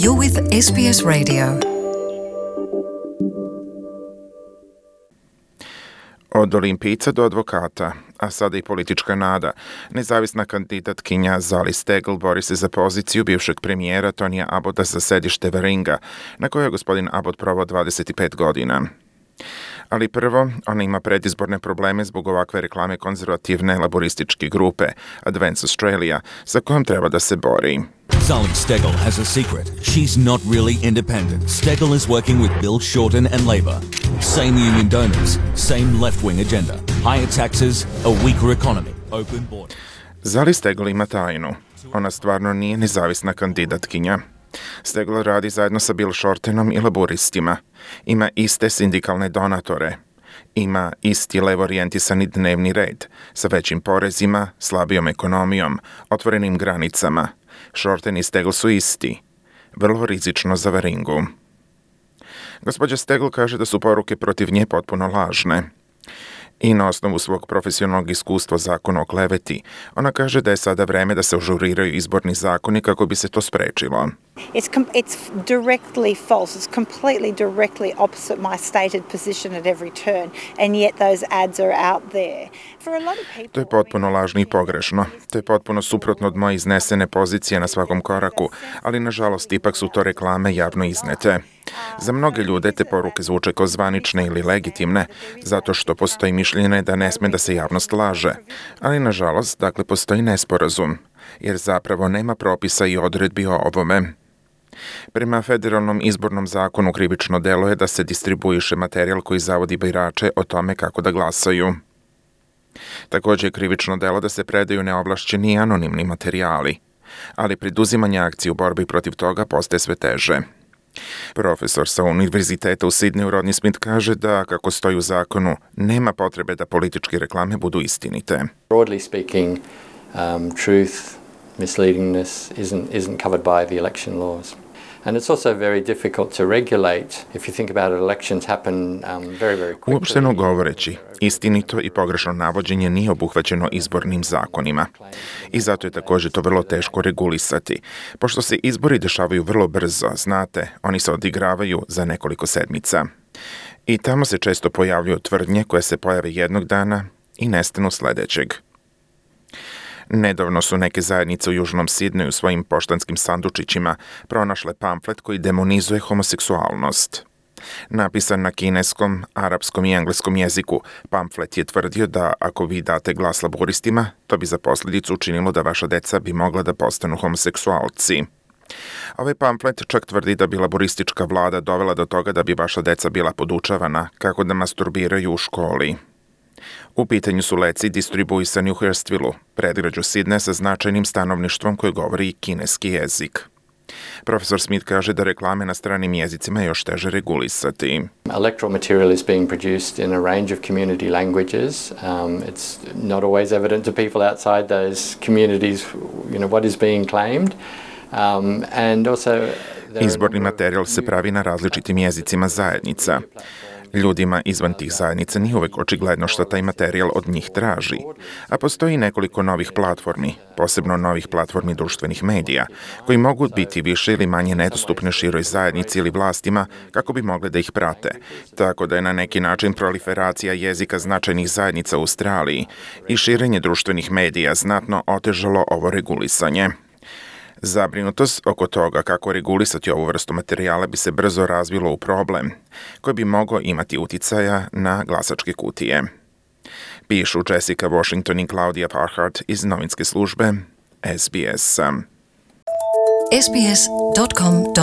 You're with SBS Radio. Od olimpijca do advokata, a sada i politička nada, nezavisna kandidatkinja Zali Steggall bori se za poziciju bivšeg premijera Tonija Abbotta za sedište Warringa, na kojoj je gospodin Abbott proveo 25 godina. Ali prvo, ona ima predizborne probleme zbog ovakve reklame konzervativne laborističke grupe Advance Australia, sa kojom treba da se bori. Zali Steggall has a secret. She's not really independent. Steggall is working with Bill Shorten and Labor. Same union donors, same left-wing agenda. Higher taxes, a weaker economy, open borders. Zali Steggall ima tajnu. Ona stvarno nije nezavisna kandidatkinja. Steggall radi zajedno sa Bill Shortenom i laboristima. Ima iste sindikalne donatore. Ima isti levo-orijentisani dnevni red, sa većim porezima, slabijom ekonomijom, otvorenim granicama. Shorten i Steggall su isti. Vrlo rizično za Warringu. Gospođa Steggall kaže da su poruke protiv nje potpuno lažne. I na osnovu svog profesionalnog iskustva zakona o kleveti, ona kaže da je sada vreme da se ažuriraju izborni zakoni kako bi se to sprečilo. It's directly false. It's completely directly opposite my stated position at every turn, and yet those ads are out there. For a lot of people, To je potpuno lažno i pogrešno. To je potpuno suprotno od moje iznesene pozicije na svakom koraku, ali nažalost ipak su to reklame javno iznete. Za mnoge ljude te poruke zvuče kao zvanične ili legitimne, zato što postoji mišljenje da ne sme da se javnost laže. Ali nažalost, dakle, postoji nesporazum, jer zapravo nema propisa i odredbi o ovome. Prema federalnom izbornom zakonu krivično delo je da se distribuiše materijal koji zavodi birače o tome kako da glasaju. Također je krivično delo da se predaju neovlašćeni i anonimni materijali, ali preduzimanje akcije u borbi protiv toga postaje sve teže. Profesor sa Univerziteta u Sidneju Rodney Smith kaže da, kako stoji u zakonu, nema potrebe da političke reklame budu istinite. Broadly speaking, truth, misleadingness isn't covered by the election laws. And it's also very difficult to regulate. If you think about it, elections happen very, very quickly. Uopšteno govoreći, istinito i pogrešno navođenje nije obuhvaćeno izbornim zakonima. I zato je također to vrlo teško regulisati. Pošto se izbori dešavaju vrlo brzo, znate, oni se odigravaju za nekoliko sedmica. I tamo se često pojavljuju tvrdnje koje se pojave jednog dana i nestanu sledećeg. Nedavno su neke zajednice u Južnom Sidneju svojim poštanskim sandučićima pronašle pamflet koji demonizuje homoseksualnost. Napisan na kineskom, arapskom i engleskom jeziku, pamflet je tvrdio da ako vi date glas laboristima, to bi za posljedicu učinilo da vaša deca bi mogla da postanu homoseksualci. Ovaj pamflet čak tvrdi da bi laboristička vlada dovela do toga da bi vaša deca bila podučavana kako da masturbiraju u školi. U pitanju su leci distribuisani u Hurstvilleu, predgrađu Sidneja sa značajnim stanovništvom koje govori kineski jezik. Profesor Smith kaže da reklame na stranim jezicima je još teže regulisati. Electoral material is being produced in a range of community languages. It's not always evident to people outside those communities, what is being claimed. And also Izborni materijal se pravi na različitim jezicima zajednica. Ljudima izvan tih zajednica nije uvek očigledno što taj materijal od njih traži, a postoji nekoliko novih platformi, posebno novih platformi društvenih medija, koji mogu biti više ili manje nedostupne široj zajednici ili vlastima kako bi mogle da ih prate, tako da je na neki način proliferacija jezika značajnih zajednica u Australiji i širenje društvenih medija znatno otežalo ovo regulisanje. Zabrinutost oko toga kako regulisati ovu vrstu materijala bi se brzo razvilo u problem, koji bi mogao imati uticaja na glasačke kutije. Pišu Jessica Washington i Claudia Parhart iz novinske službe SBS. sbs.com.au